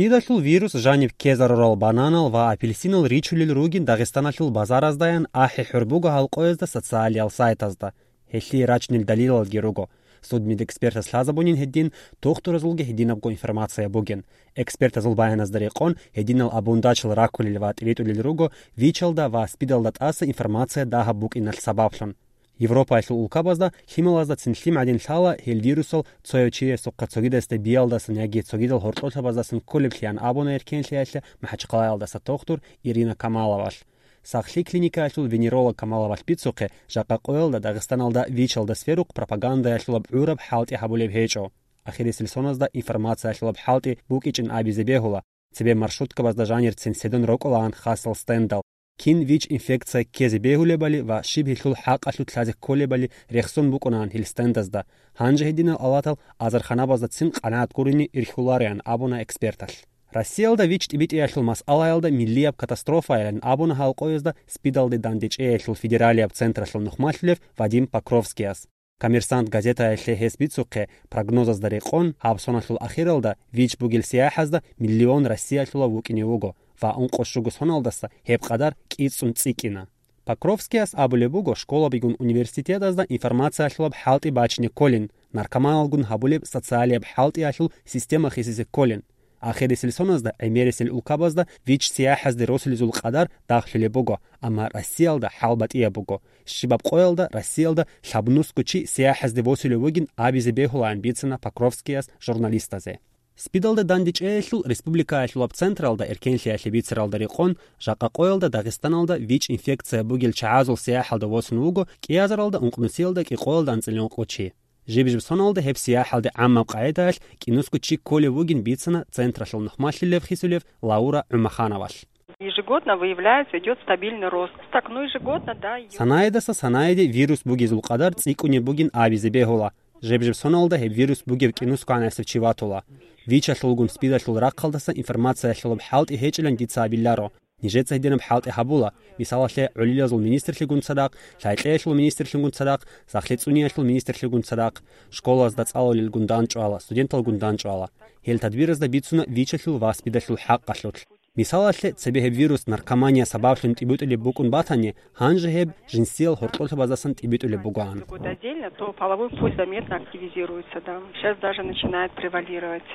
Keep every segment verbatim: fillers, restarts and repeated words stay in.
Спидалъул вирус жаниб ккезарурал бананал ва апельсинал ричулел ругин Дагъистаналъул базараздаян ахӀи-хӀур буго гьал къоязда социалиял сайтазда. Гьелъие рачунел далилалги руго. Судмедэкспертас лъазабунин гьедин, тухтуразулги гьединабго информация бугин. Экспертазул баяназда рекъон, гьединал абундачил раккулел ва тӀиритӀулел руго ВИЧалда ва СПИДалда тӀаса информация дагьаб букӀиналъ сабаблъун. Европаялъул улкабазда лъималазда цин лъим гӀадин лъала гьел вирусал цояв чиясухъа цогидасда биялдасан яги цогидал гьоркьолъабаздасан кколеблъиан абуна Эркенлъиялъе МахӀачхъалаялдаса тухтур Ирина Камаловалъ. Сахлъи клиникаялъул венеролог Камаловалъ бицухъе, жакъа къоялда Дагъистаналда ВИЧалда сверухъ пропагандаялъулаб гӀураб хӀалтӀи гьабулеб гьечӀо. Ахирисел соназда информациялъулаб хӀалтӀи букӀичӀин абизе бегьула, цебе маршруткабазда жанирцин седун рокӀолаан хасал стендал. Кин ВИЧ-инфекция ккезе бегьулебали ва щиб гьелъул хӀакъалъулъ лъазе кколебали рехсон букӀунаан гьел стендазда. Гьанже гьединал алатал азарханабазда цин къанагӀат гурине ирхьулареан абуна эксперталъ. Россиялда ВИЧ-тӀибитӀиялъул масъалаялда миллияб катастрофайилан абуна гьал къоязда СПИДалде дандечӀеялъул федералияб централъул нухмалъулев Вадим Покровскияс. «Коммерсант» газетаялъе гьес бицухъе, прогнозазда рекъон, гьаб соналъул ахиралда ВИЧ бугел сияхӀазда миллион Россиялъулав вукӀине вуго ва ункъо щуго соналдаса гьеб къадар кӀицӀун цӀикӀкӀина. Покровскияс абулеб буго, школабигун университетазда информациялъулаб хӀалтӀи бачине кколин, наркоманалгун гьабулеб социалияб хӀалтӀиялъул система хисизе кколин. Ахирисел соназда гӀемерисел улкабазда ВИЧ сияхӀазде росулезул къадар дагълъулеб буго, амма Россиялда хӀал батӀияб буго. Щибаб къоялда Россиялда лъабнусго чи сияхӀазде восулев вугин абизе бегьулаан бицана Покровскияс журналистазе. СПИДалда дандечӀеялъул республикаялъулаб централда эркенлъиялъе бицаралда рекъон, жакъа къоялда Дагъистаналда ВИЧ-инфекция бугел чагӀазул сияхӀалда восун вуго кӀиазаралда ункънусиялда кӀикъоялда анцӀила ункъо чи. Жиб-жиб соналда гьеб сияхӀалде гӀаммаб къагӀидаялъ кӀинусго чи кколев вугин бицана централъул нухмалъулев хисулев Лаура ГӀумахановалъ. Ежегодно выявляется, идёт стабильный рост. Так, ну, ежегодно, да, идёт. Санаидаса санаиде вирус бугезул къадар цӀикӀкӀунеб бугин абизе бегьула. Жеб-жеб соналда гьеб вирус бугеб кӀинусго гӀанасев чи ватула. ВИЧалъулгун СПИДалъул рахъалдаса информациялъулаб хӀалтӀи гьечӀилан дица абиларо. Нижеца гьединаб хӀалтӀи гьабула, мисалалъе, гӀолилазул министрлъигун цадахъ, лъай-кьеялъул министрлъигун цадахъ, сахлъи цӀуниялъул министрлъигун цадахъ, школазда цӀалулелгун дандчӀвала, студенталгун дандчӀвала. Гьел тадбиразда бицуна ВИЧалъул ва СПИДалъул хӀакъалъулъ. Мисалалъе, цебе гьеб вирус наркомания сабаблъун тӀибитӀулеб букӀун батани, гьанже гьеб жинсиял гьоркьолъабаздасан тӀибитӀулеб бугоан. Какой-то отдельно, то половой путь заметно активизируется, да. Сейчас даже начинает превалировать.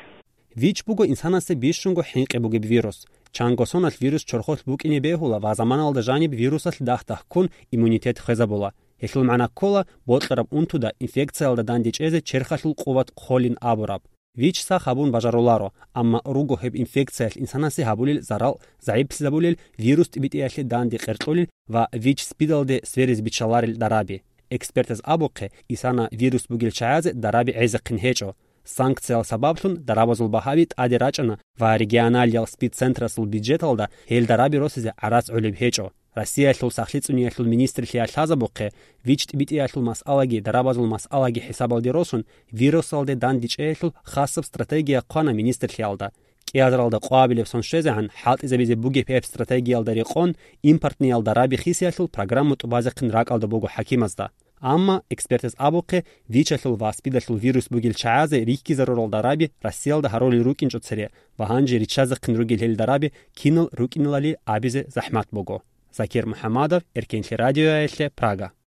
ВИЧ буго инсанасе бищунго хӀинкъи бугеб вирус. Чанго соналъ вирус чорхолъ букӀине бегьула ва заманалда жаниб вирусалъ дагь-дагьккун иммунитет хвезабула. Гьелъул магӀна ккола бокьараб унтуда инфекциялда дандечӀезе черхалъул къуват хъолин абураб. ВИЧ сах гьабун бажаруларо, амма руго гьеб инфекциялъ инсанасе гьабулел зарал загӀиплъизабулел, вирус тӀибитӀиялъе данде къеркьулел ва ВИЧ-СПИДалде сверизе биччаларел дараби. Экспертаз абухъе, исана вирус бугел чагӀазе дараби гӀезехъин гьечӀо. Санкциял сабаблъун дарабазул багьаби тӀаде рачӀана ва регионалиял СПИД-центрасул бюджеталда гьел дараби росизе гӀарац гӀолеб гьечӀо. Россиялъул сахлъи цӀуниялъул министрлъиялъ лъазабухъе, ВИЧ-тӀибитӀиялъул масъалаги дарабазул масъалаги хӀисабалде росун, вирусалде дандечӀеялъул хасаб стратегия хъвана министрлъиялда. КӀиазаралда къвабилеб сон щвезегӀан хӀалтӀизабизе бугеб гьеб стратегиялда рекъон, импортниял дараби хисиялъул программа тӀубазехъин ракӀалда буго хӀакимазда. Амма, экспертаз абухъе, ВИЧалъул ва СПИДалъул вирус бугел чагӀазе рихьизарурал дараби Россиялда гьарулел рукӀинчӀо цере ва гьанже риччазехъин ругел гьел дараби кинал рукӀиналали абизе захӀмат буго. Закир МухӀамадов, Эркенлъи радиоялъе, Прага.